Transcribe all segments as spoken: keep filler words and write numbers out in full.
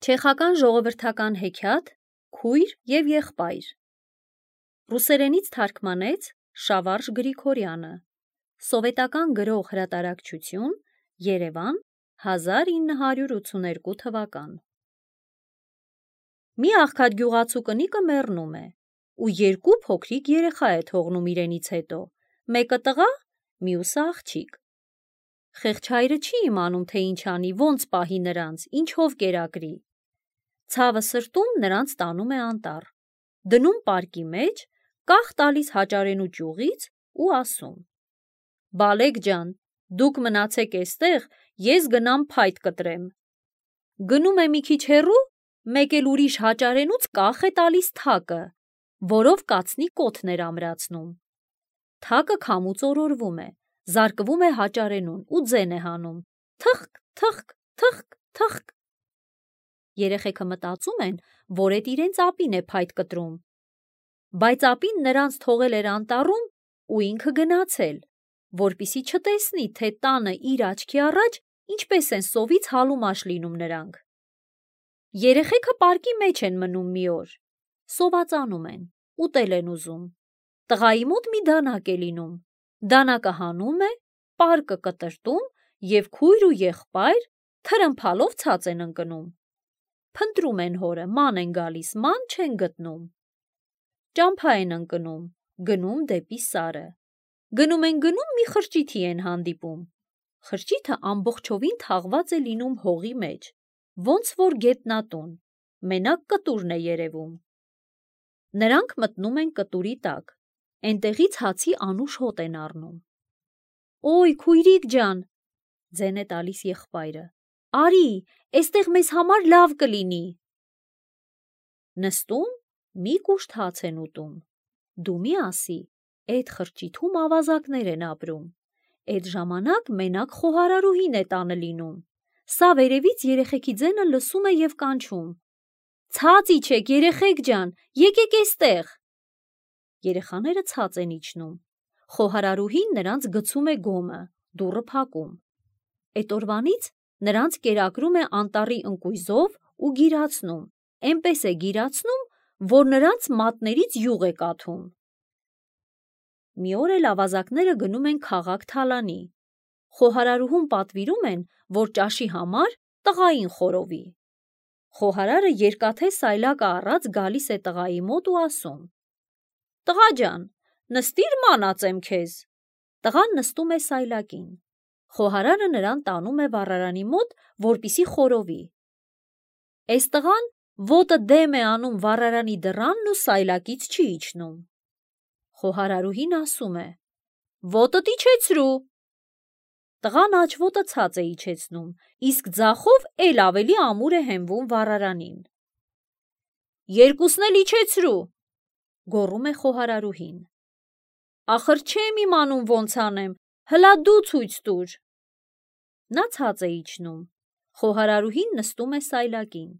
Չեխական ժողովրդական հեքիաթ «Քույր և եղբայր» ռուսերենից թարգմանեց Շավարժ Գրիգորյանը, սովետական գրող հրատարակչություն, Երևան, հազար ինը հարյուր ութսուներկու թվական։ Մի աղքատ գյուղացու կնիկը մեռնում է ու երկու փոքրիկ երեխա է թողնում իրենից հետո, մեկը տղա, մյուսը աղջիկ։ Խեղճ հայրը չի իմանում, թե ինչ անի, ոնց պահի նրանց, ինչով կերակրի։ Ցավը սրտում նրանց տանում է անտառ, դնում պարկի մեջ, կախ տալիս հաճարենու ճյուղից ու ասում. «Բալեք ջան, դուք մնացեք էստեղ, ես գնամ փայտ կտրեմ»։ Գնում է մի քիչ հեռու, մեկ էլ ուրիշ հաճարենուց կախ է տալիս թակը, որով կացնի կոթն էր ամրացնում։ Թակը քամուց օրորվում է, զարկվում է հաճարենուն ու ձեն է հանում. թխկ, թխկ, թխկ, թխկ։ Երեխեքը մտածում են, որ էդ իրենց ապին է փայտ կտրում, բայց ապին նրանց թողել էր անտառում ու ինքը գնացել, որպեսզի չտեսնի, թե տանը իր աչքի առաջ ինչպես են սովից հալումաշ լինում նրանք։ Երեխեքը պարկի մեջ են մնում մի օր, սովածանում են, ուտել են ուզում։ Տղայի մոտ մի դանակ է լինում, դանակը հանում է, պարկը կտրտում և քույր ու եղբայր թրմփալով ցած են ընկնում։ Փնտրում են հորը, ման են գալիս, ման չեն գտնում։ Ճամփա են ընկնում, գնում դեպի Սարը։ Գնում են գնում, մի խրճիթի են հանդիպում։ Խրճիթը ամբողջովին թաղված է լինում հողի մեջ, ոնց որ գետնատուն, մենակ կտուրն է երևում։ Նրանք մտնում են կտուրի տակ, էնտեղից հացի անուշ հոտ են առնում։ «Օй, քույրիկ ջան», ձեն է տալիս եղբայրը, «արի, էստեղ մեզ համար լավ կլինի»։ Նստում, մի կուշտ հաց են ուտում։ Դու մի ասի, էդ խրճիթում ավազակներ են ապրում, էդ ժամանակ մենակ խոհարարուհին է տանը լինում։ Սա վերևից երեխեքի ձենը լսում է և կանչում. «Ցած իջեք, երեխեք ջան, եկեք էստեղ»։ Երեխաները ցած են իջնում։ Խոհարարուհին նրանց գցում է գոմը, դուռը փակում։ Էդ օրվանից նրանց կերակրում է անտառի ընկույզով ու գիրացնում, էնպես է գիրացնում, որ նրանց մատներից յուղ է կաթում։ Մի օր էլ ավազակները գնում են քաղաք թալանի։ Խոհարարուհուն պատվիրում են, որ ճաշի համար տղային խորովի։ Խոհարարը երկաթե սայլակը առած գալիս է տղայի մոտ ու ասում. «Տղա ջան, նստիր, մանածեմ քեզ»։ Տղան նստում է սայլակին։ Խոհարարը նրան տանում է վառարանի մոտ, որպեսզի խորովի։ Էս տղան ոտը դեմ է անում վառարանի դռանն ու սայլակից չի իջնում։ Խոհարարուհին ասում է. «Ոտդ իջեցրու»։ Տղան աջ ոտը ցած է իջեցնում, իսկ ձախով էլ ավելի ամուր է հենվում վառարանին։ «Երկուսն էլ իջեցրու», գոռում է խոհարարուհին։ «Ախր չեմ իմանում ոնց անեմ, հլա դու ցույց տուր»։ Նա ցած է իջնում։ Խոհարարուհին նստում է սայլակին։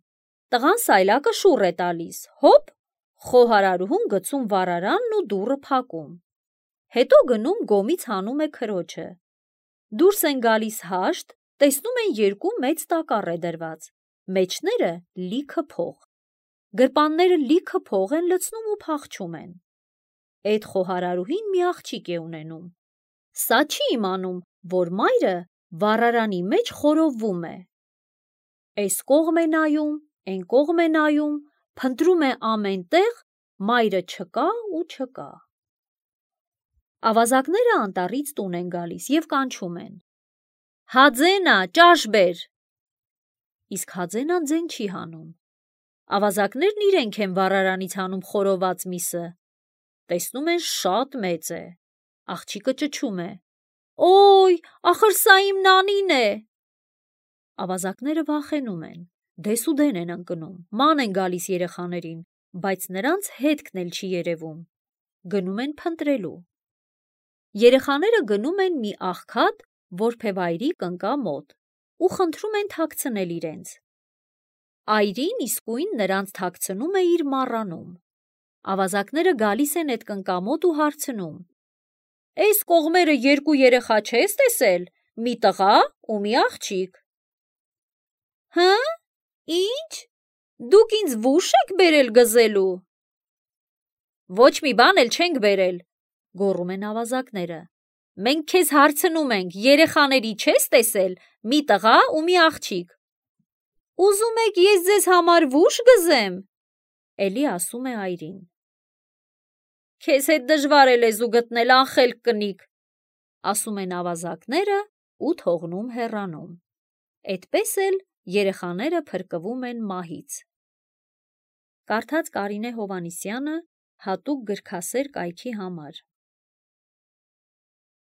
Տղան սայլակը շուռ է տալիս, հոպ, խոհարարուհուն գցում վառարանն ու դուռը փակում։ Հետո գնում գոմից հանում է քրոջը։ Դուրս են գալիս հաշտ, տեսնում են երկու մեծ տակառ է դրված, մեջները լիքը փող։ Գրպանները լիքը փող են լցնում ու փախչում են։ Էդ խոհարարուհին մի աղջիկ է ունենում։ Սա չի իմանում, որ մայրը վառարանի մեջ խորովում է։ Էս կողմ է նայում, էն կողմ է նայում, փնտրում է ամեն տեղ, մայրը չկա ու չկա։ Ավազակները անտառից տուն են գալիս և կանչում են. «Հաձենա, ճաշ բեր»։ Իսկ Հաձենան ձեն չի հանում։ Ավազակներն իրենք են վառարանից հանում խորոված միսը։ Տեսնում են շատ մեծ է։ Աղջիկը ճչում է. «Օй, ախր սա իմ նանին է»։ Ավազակները վախենում են, դեսուդեն են ընկնում, ման են գալիս երեխաներին, բայց նրանց հետքն էլ չի երևում։ Գնում են փնտրելու։ Երեխաները գնում են մի աղքատ որբևայրի կնկա մոտ ու խնդրում են թաքցնել իրենց։ Այրին իսկույն նրանց թաքցնում է իր մառանում։ Ավազակները գալիս են էդ կնկա մոտ ու հարցնում. «Էս կողմերը երկու երեխա չես տեսել, մի տղա ու մի աղջիկ»։ «Հը՞, ի՞նչ, Դուք ինձ վուշ եք բերել գզելու։ Ոչ մի բան էլ չենք բերել, գոռում են ավազակները։ Մենք քեզ հարցնում ենք, երեխաների չես տեսել, մի տղա ու մի աղջիկ։ Ուզում եք ես ձեզ համար վուշ գզեմ, էլի ասում է այրին։ Քեզ հետ դժվար է լեզու գտնել, անխելք կնիկ, ասում են ավազակները ու թողնում հեռանում։ Էդպես էլ երեխաները փրկվում են մահից։ Կարդաց Կարինե Հովհաննիսյանը հատուկ գրքասեր կայքի համար։